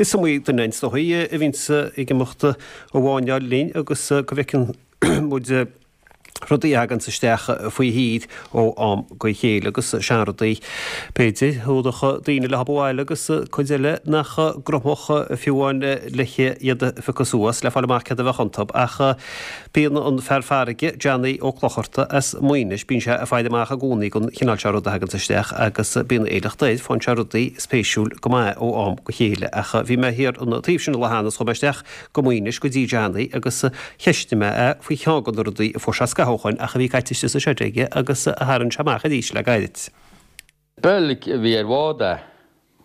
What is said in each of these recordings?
Is iomaí duine is dóigh a bhíonns ag imeacht a bhfáinneáil linn agus go bhfeiceann muid rudaí a thaganns isteach faoi thír ó am go chéile agus seanrudaí, b'fhéidir, a thabharfadh daoine leo abhaile agus cuid eile nach gcrochfadh fiú amháin le iad a phiocadh suas le fáil amach céard a bheadh iontu. Ach bíonn an fear farraige, Johnny Ó Clochartaigh as Maínis, bíonn sé ag faire amach i gcónaí don chineál seo rud a thaganns isteach agus bíonn éileacht air, faigheann sé rudaí spéisiúil go maith ó am go chéile. Ach bhí mé thiar an taobh sin an lá cheana is chuaigh mé isteach go Maínis go dtí Johnny agus cheistigh mé é faoi cheann de na rudaí a fuair sé scaitheamh ó shoin ach a bhí caite istigh sa seid aige agus a tharraing sé amach arís le gairid. Beilg a bhí ar bhád é.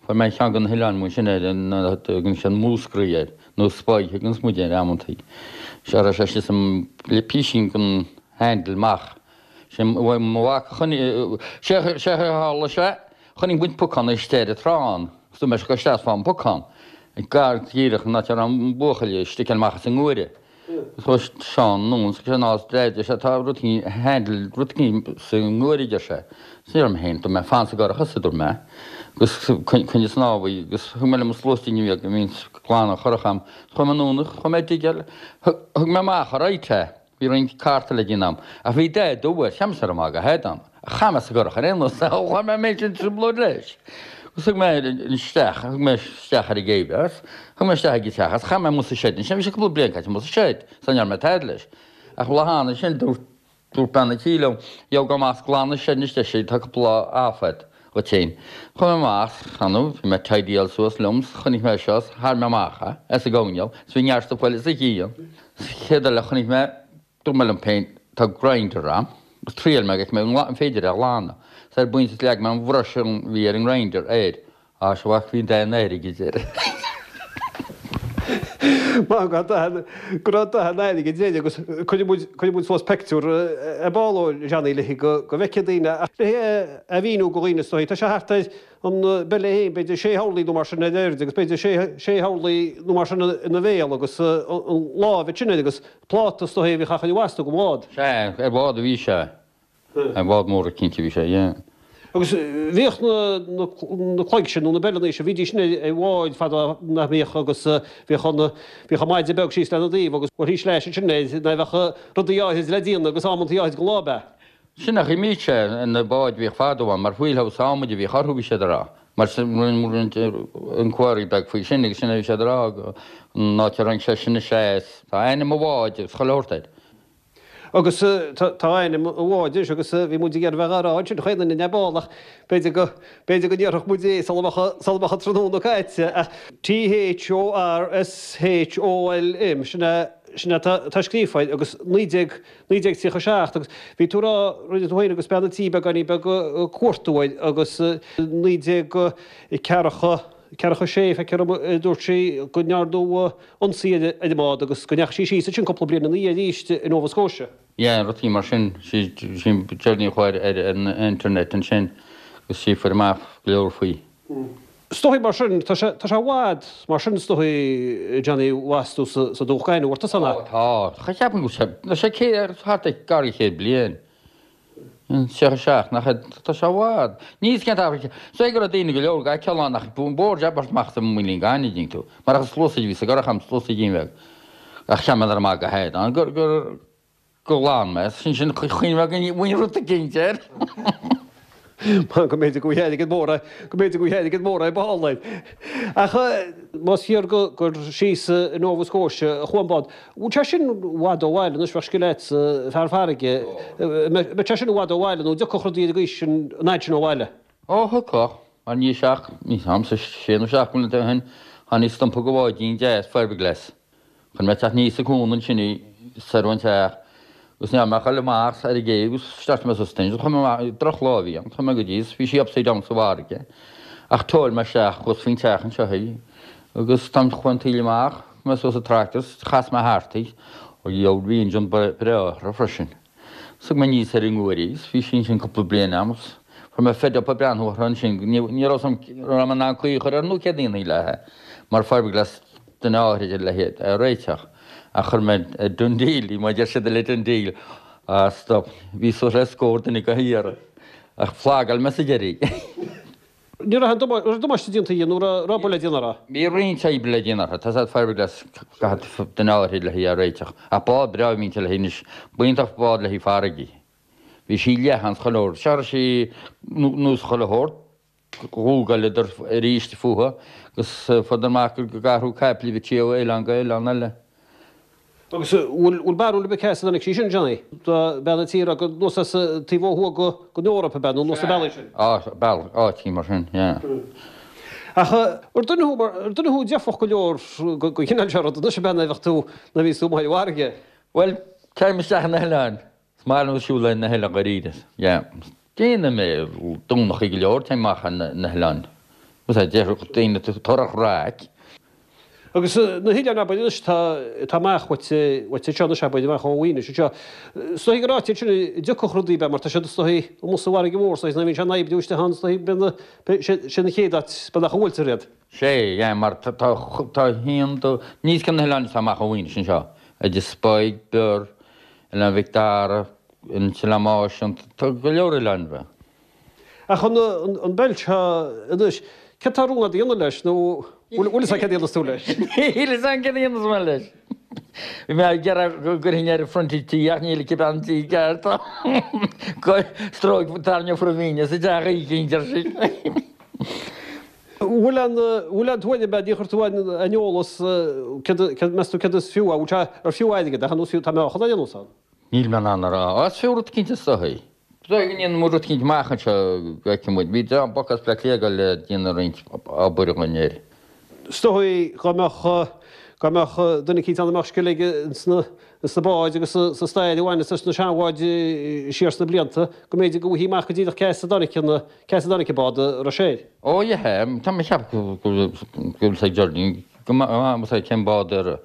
Fuair mé ceann de na hoileáin amuigh ansin air a dtugann siad Múscraí air, nó Spy a thuganns muid air amantaí. Sea, raibh sé istigh sa le písín den handle amach. Sé mo mhac a choinnigh, sé a tharla sé, chonaic muid pocán istigh ar an trá ann. Agus dúirt mé seo isteach fán bpocán. Gar díreach an áit a raibh an buachaill ag sticeáil amach as an nguaire. Chuaigh Seán anonn is sé ná deir sé tá rud éigin handle rud éigin sa nguaire a deir sé. Is ní raibh mé féin dúirt mé fan sa gcurach a dúirt mé agus coinnigh snámhaí agus thug mé liom an sluasaidín bheag a bhíonns ag glanadh an churach a'm. Chuaigh mé anonn chuaigh mé ag digeáil thug mé amach alright é. Bhí roinnt cárta le déanamh a'm, ach bhí dath dubh air, cheap mise raibh maith go head ann, ach chaith mé sa gcurach ar aon nós é, chuir mé an méid sin trioblóid leis. Agus thug mé isteach, thug mé isteach ar an gcéibh é, agus thug mé isteach ag an teach é, agus chaith mé amuigh sa seid ansin, bhí sé cúpla bliain caite amuigh sa seid, so ní raibh mé tada leis. Ach lá cheana sin, dúirt, dúirt bean an tí liom, gheobhaidh tú amach 's glan an seid anois deir sí, tá cúpla lá off a'd dhuit féin. Chuaigh mé amach, cheana, bhí mé ag tidyáil suas liom, 's chonaic mé seo, 's tharraing mé amach é, as an gcoirnéal, 's bhí neart stuif eile sa chíonn. Sa chéad eile a chonaic mé, dúirt mé liom féin, tá grinder a'm, agus thriail mé go bhfeicfidh mé an féidir é a ghlanadh. Is ar bpointe leag mé an bhrush a bhí ar an ngrinder air. Á, sea, bhí dath an airgid air. Maith go raibh dath an airgid air agus cuirfidh muid, cuirfidh muid suas peictiúr ar ball ó Johnny léi go bhfeicfidh daoine ach léi a mhíniú go dhaoine is dóigh. Tá sé thart ar an bpeile féin, b'fhéidir sé horlaí nó mar sin ar airde agus b'fhéidir sé, sé horlaí nó mar sin ina bhéal agus an láimh ansin air agus pláta is dóigh a bhíodh á chur i bhfastú go bhád. Sea, ar bhád a bhí sé. Ar bhád mór cinnte a bhí sé, yeah. Agus bhíodh na, na, na cloig sin nó na beileanna sin, bhídís sin ar bháid fadó nach mbíodh agus bhíodh an, bhíodh an maide beag síos lena dtaobh agus bhuailtí sleais ansin air nuair a bheadh rudaí áithrid le déanamh agus amantaí áithrid go lá ab ea? Sin a chuimhnigh sé ar na báid a bhíodh fadó ann, mar wheelhouse adhmaid a bhíodh orthu, bhí siad a rá. Mar sin, rinne roinnt inquiry beag faoi sin agus sin a bhí siad a rá, an áit a tharraing sé sin is ea is tá ainm an bháid agus chuile shórt air. Agus tá ainm an bháid anois agus bhí muid ag iarraidh bheith á rá ansin chaon duine ar ball ach b'fhéidir go, b'fhéidir go ndéarfadh muid é sula mbeadh, sula mbeadh an tráthnóna caite ach THORSHOLM, sin é, sin é atá scríofa air agus 19, 1937 agus bhí tú ag rá, rinne tú féin agus bean an tí beagáinín beag cuartú air agus 1946 feictear dom a dúirt sí go ndearnadh ionsaí ar an mbád agus go ndeachaigh sí síos ansin cúpla bliain ina dhiaidh arís i Nova Scotia. Yeah, rudaí mar sin, sí Geraldine a chuaigh ar an internet ansin agus sí a fuair amach go leor faoi. Is dóigh mar sin, tá sé, tá sé i bhfad mar sin is dóigh Johnny bhfastú sa, sa dumhach gainimh ort san Ó tá, cha cheapaim go bhfuil sé, tá sé céad, thart ar gar do chéad bliain. 37, nach ea, tá sé i bhfad. Níl 's cén t-achar, is dóigh go raibh daoine go leor ag feiceáil ann ach bhí an bord ag amach sa muileann gainimh, dtuigeann tú. Mar ach sluasaid a bhí sa gcurach a'm, sluasaidín bheag. Ach cheap mé nach raibh maith go head ann gur, gur, Gur ghlan mé, sin sin chuimhne mé go bhfuil rud eicínt air. Go mb'fhéidir go bhfuil airgead mór go mb'fhéidir go bhfuil airgead mór ar ball air. Ach más fíor go gur síos i Nova Scotia a chuaigh an bád, bhfuil sé sin i bhfad ó bhaile anois, bheadh scil agat, fear farraige, mbeadh sé sin i bhfad ó bhaile nó an dtiocfadh rudaí ar an gcaoi sin, an fhad sin ó bhaile? Ó, thiocfadh, mar ní seacht, ní am sa sé nó blianta ó shin, tháinig stumpa go bháidín deas fiberglass. Chonaic mé ag teacht aníos an cuan ansin í soir ón teach agus ní raibh mé ach ag dul amach ar an gcéibh agus start mé suas ansin chuaigh mé amach, drochlá a bhí ann, chuaigh mé go dtí is bhí sí upside down sa bhfarraige ach thóil mé isteach thuas faoin teach anseo í agus táim chuaigh an taoille amach, chuaigh mé suas sa tractor is chas mé thart í, ó gheall bhí engine breá uirthi freisin. Thug mé aníos ar an nguaire í is bhí sí ansin cúpla bliain a'm is fuair mé fed up ag breathnú uirthi ansin, ní raibh 'fhios a'm raibh mé in ann caoi a chur uirthi nó céard a dhéanfaí léi mar fiberglass duine áithrid le hiad a réiteach ach chuir mé ar DoneDeal í mar deir siad le DoneDeal ah stop bhí suas le scór duine dhá hiarraidh ach phlugáil mé sa deireadh í. Ní raibh aon damáiste déanta dhi nó raibh obair le déanamh uirthi? Bhí roinnt oibre le déanamh uirthi. Tá said fiberglass caithfidh duine áirithe le í a réiteach. Ach bád breá a bhí inti le anois. B'iontach bád le haghaidh farraige. Bhí sí leathan 's chuile shórt. Sea raibh sí nós chuile shórt. Ghugáileadar arís fúthu agus fuaireadar amach gur ag athrú caiple a bhí sí ó oileán go oileán eile. Agus bhfuil barúil ar bith cá as a dtáinig sí sin, Johnny? Bean an tí a raibh anuas as taobh ó thuaidh den Eoraip, ab ea, nó anuas na bealaí sin? Á, bealach, áiteachaí mar sin, yeah. Ach ar duine thú, ar duine thú dearfach go leor don chineál seo ruda anois, ab ea, nuair a bheadh tú, nuair a bhíos tú amuigh ar an bhfarraige? Bhuel, téim isteach na hoileáin. Is maith liom siúl ar na hoileáin dháiríre. Yeah. Déanaim é Domhnachaí go leor, téim amach ar na hoileáin. Is é déarfadh daoine tar ar chraic. Agus na hoileáin abair anois tá atá amach uait uait anseo anois abair amach ó Mhuighinis anseo. Is dóigh gur áit iad sin a dtiocfadh rudaí ab ea mar tá siad is dóigh amuigh sa bhfarraige mhór is dóigh nuair a bhíonn sé an oibriú isteach ann is dóigh bíonn na sé na chéad áit beagnach a bhuailtear iad. Sé, yeah, mar tá tá haon dó níos cionn na hoileáin atá amach ó Mhuighinis anseo, idir Spike, Bior, Oileán Mhic Dara, an tOileán Máise, tá go leor oileáin bheaga. Ach an beilt seo anois, céard tá rún agat a dhéanamh leis nó bhfuil fhios agat céard a dhéanfas tú leis? Níl fhios agam céard a dhéanfas mé leis. Bhí mé ag iarraidh go gcuirfinn ar an frontage tí ach níl aici bean tí ceart. Stróic tarraingeofar an mhín as an dteach éicint, ar sí. Bhfuil aon, bhfuil aon tuairim agat, níor chuir tú aon eolas, céard, céard, meas tú céard is fiú, an bhfuil sé, ar fiú airgead é, nó is fiú, tá meáchan á dhéanamh ann? Níl mé in ann a rá. Á, is fiú rud eicínt is dóigh. Is dóigh go ndéanfaidh muid rud eicínt amach anseo go bhfeicfidh muid. Bhí dream boc as Bleá Cliath ag dul le déanamh roinnt obair dhúinn air. Is dóigh dá mbeadh, dá mbeadh duine eicínt ann a mbeadh scil aige ins na, ins na báid agus sa stair a bhaineas leis na seanbháid siar sna blianta, go mb'fhéidir go bhfaighfí amach go díreach cá as a dtáinig an, cá as a dtáinig an bád a raibh sé air. Ó yeah, tá mé ag ceapadh go bhfuil fhios ag Geraldine go maith cén bád ar,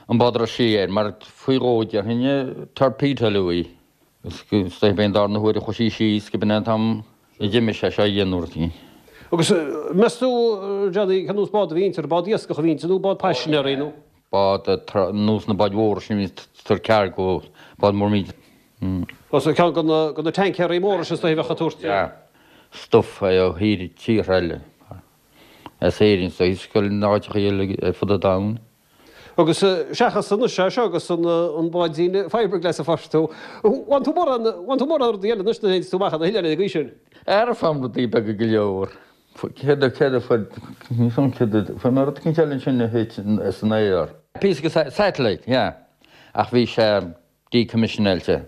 an bád a raibh sí air, mar faoi dhó déarfainn torpedo-áladh í. Is dóigh b'é an darna huair a chuaigh sí síos go b'in é an t-am a d'imigh sé seo a dhéanamh rud éigin. Agus meas tú, Johnny, cén nós bád a bhí inti, ar bád iascach a bhí inti nó bád paisinéirí nó? Bád nós na báid mhóra sin a bhíonn ag tabhairt cargo, bád mór míde. Ó so ceann de na tancaeirí móra sin is dóigh a bheadh ag tabhairt. Yeah. Stuff ó thír, tíortha eile. As Éirinn is dóigh, is go áiteacha eile ar fud an domhain. Agus seachas anois é seo agus an báidín fiberglass a fuair tú, bhain tú mórán, bhain tú mórán rudaí eile anois nuair a théanns tú amach ar na hoileáin ar an gcaoi sin. Ara faighim rudaí beaga go leor. Céard a, céard a fuair, níl 'fhios a'm céard a, fuair mé rud eicínt eile ansin a thit as an aer. Píosa de satellite, yeah. Ach bhí sé decommissionáilte.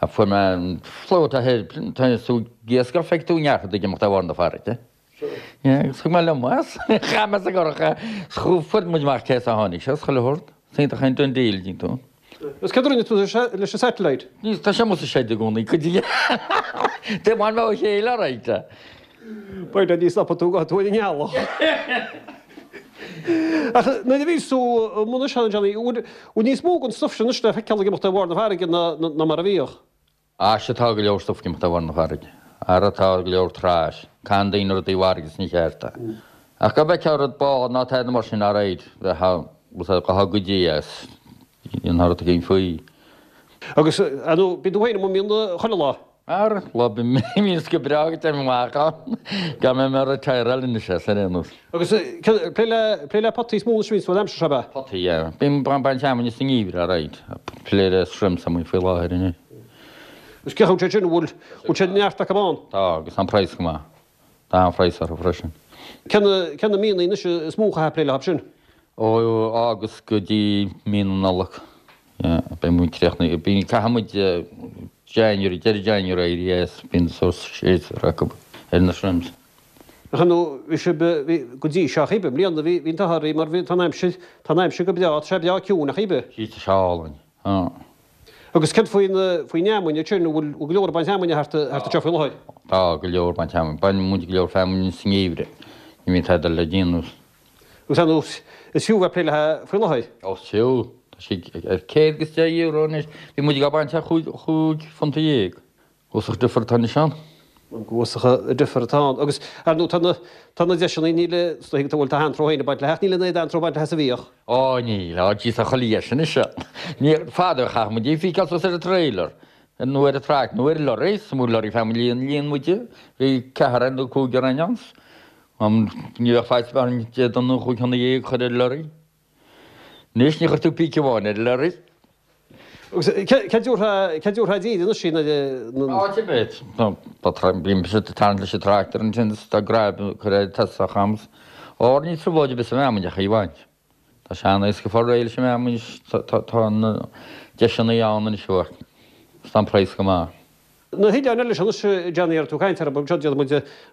Fuair mé an float ahead, tá tú ag iascach, feicfidh tú neart ag imeacht ar bharr na farraige. Yeah, agus thug mé liom as. Chaith mé sa gcurach é. Fuair muid amach cé as a tháinig sé, is chuile shórt. Is iontach an done deal, díonn tú. Agus céard a rinne tú leis an satellite? Níl, tá sé amuigh sa shed i gcónaí, cuid de. De bhain mé ó chéile alright. B'fhéidir ní stopfaidh tú go tú ar an ngealach. Ach nuair a bhíos tú i mbun seo, Johnny, bhfuil níos mó den stuif sin anois le feiceáil ag imeacht ar bharr na farraige ná mar a bhíodh? Á sea tá go leor stuif ag imeacht ar bharr na farraige. Ara tá go leor trash. Caitheann daoine rudaí i bhfarraige is ní cheart é. Ach go bhfeicfeá rud bád ná tada mar sin alright bheifeá bheifeá goidí as. Dhéanfá rud éigin faoi. Agus ar ndóigh bíonn tú féin amuigh mion chuile lá. Ara, lá bíonns go breá go dtéim amach ann. Gan mé mé retireáil anois as ar aon nós. Agus plé le plé le potaí is mó anois a bhíonns tú an aimsir seo ab ea? Potaí, yeah. Bím ag baint feamainne sa ngeimhreadh, alright. Plé le shrimps amuigh faoi láthair anois. Agus cén chaoi a bhfuil sé sin, an bhfuil bhfuil sé neart acu ann? Tá, agus tá an praghas go maith. Tá an-phraghas orthu freisin. Cé na cé na míonna anois is mó a chaithfeá plé leo sin? Ó August go dtí mí na Nollag. Yeah, beidh muid críochnaithe. Bíonn, caithfidh muid January, deireadh January éirí as, bíonn sórt séasúr acu ar na shrimps. Ach ar ndóigh, bhí sibh, bhí, go dtí seo, cibé, i mbliana, bhí, bhí an t-ádh oraibh mar bhí, tá an aimsir, tá an aimsir go breá, tá sé breá ciúin, ach cibé. Tá sé álainn, ah. Agus céard faoin, faoin fheamainn ansin, an bhfuil, bhfuil go leor ag baint feamainne thart, thart anseo faoi láthair? Tá go leor ag baint feamainn. Baineann muid go leor feamainne sa ngeimhreadh. Ní bhíonn tada le déanamh. Agus ar ndóigh, is fiú bheith ag plé léi faoi láthair. Ó, is fiú. Tá sí ar €110 anois. Bhí muid ag baint ar £15. Uafásach difear atá anois ann. Uafásach an difear atá ann. Agus ar ndóigh, tá na, tá na deiseanna, níl, is dóigh, bhuel, tá antró féin ag baint léi ach níl an oiread antró ag baint léi is a bhíodh. Ó, níl. Ó, jeez, tá chuile dheis anois. Ní, fadó a chaith muid í a phiceáil suas ar an trailer, nó ar an truck, nó ar an lorry, is mó lorry feamainn líon, líon muid í. Bhí ceathrar nó cúigear againn ann. Ní bheadh faitíos orainn Dé Domhnaigh chúig thonna dhéag a chur ar lorry. Anois ní chuir tú píce amháin ar lorry. Agus cé dtabharfá díreach anois í nuair a. Áit ar bith. Bímse ag tarraingt leis an tractor ansin is tá graib curtha ar tosach agam. Óir níl trioblóid ar bith sa mfheamainn ach í a bhaint. Tá sé an-éasca fáil réidh leis an bhfeamainn anois, tá na deiseanna ann anois amharc is tá an praghas go maith. Na hoileáin eile seo anois, Johnny, ar tú ag caint orthu, anseo déanfaidh muid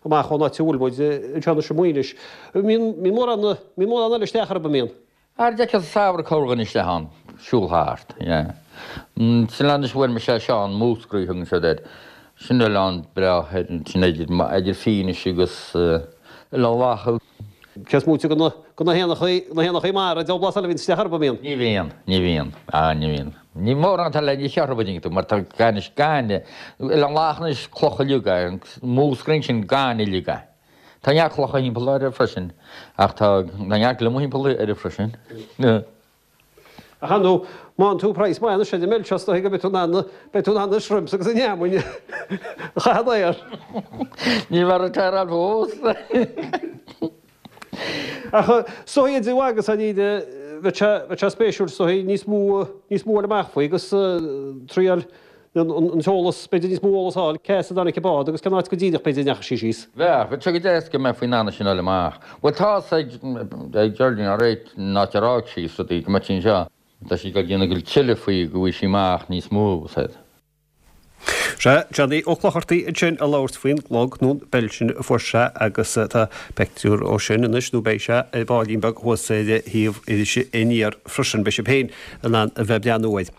amach ón áit a bhfuil muid anseo anois i Muighnis. Mbíonn mórán, mbíonn mórán eile isteach orthu, an mbíonn? Ar d'fheicfeá sa samhradh corrdhuine isteach ann, siúl thart, yeah. Sin anois bhuail mise é seo, an Múscraí a thugann siad air. Sin oileán breá, sin idir, idir Fínis agus Oileán Lacha. Cé is móite de na, de na héanachaí, na héanachaí mara, diabhal blas eile a bhíonn isteach orthu, an mbíonn? Ní bhíonn, ní bhíonn, ah ní bhíonn. Ní mórán atá le ní cheartha bhfuil tú, mar tá gaineamh, gaineamh, Oileán Lachan anois clocha uilig é, Múscraí ansin gaineamh uilig é. Tá neart clocha thimpeall air freisin, ach tá neart gliomaigh thimpeall air freisin. Ach ar ndóigh, má fhaigheann tú praghas maith anois ar an mbeil seo, is dóigh go mbeidh tú in ann, beidh tú in ann an shrimps agus an fheamainn a chaitheamh air. Ní bheadh an t-aer ann fós. Ach is dóigh idir agus an íde, bheadh sé, bheadh sé spéisiúil is dóigh níos mó, níos mó a fháil amach faoi agus triail an t-eolas, b'fhéidir níos mó eolas a fháil, cé as a dtáinig an bád agus cén áit go díreach b'fhéidir a ndeachaigh sí síos. Bheadh, bheadh sé go deas go mbeifí in ann é sin a fháil amach. Bhuel tá a fhios ag, ag Geraldine alright an áit ar fhág sí is rudaí, go mbeadh sí anseo. Tá sí ag dul déanamh go tuilleadh faoi go bhfaighidh sí amach níos mó, said. Sea, Johnny Ó Clochartaigh ansin ag labhairt faoin gclog nó an beil sin a fuair sé agus tá pictiúr ó sin anois nó beidh sé ar baillín beag thuas ar shuíomh Iris Aniar freisin. Beidh sibh féin in ann a bheith ag breathnú air.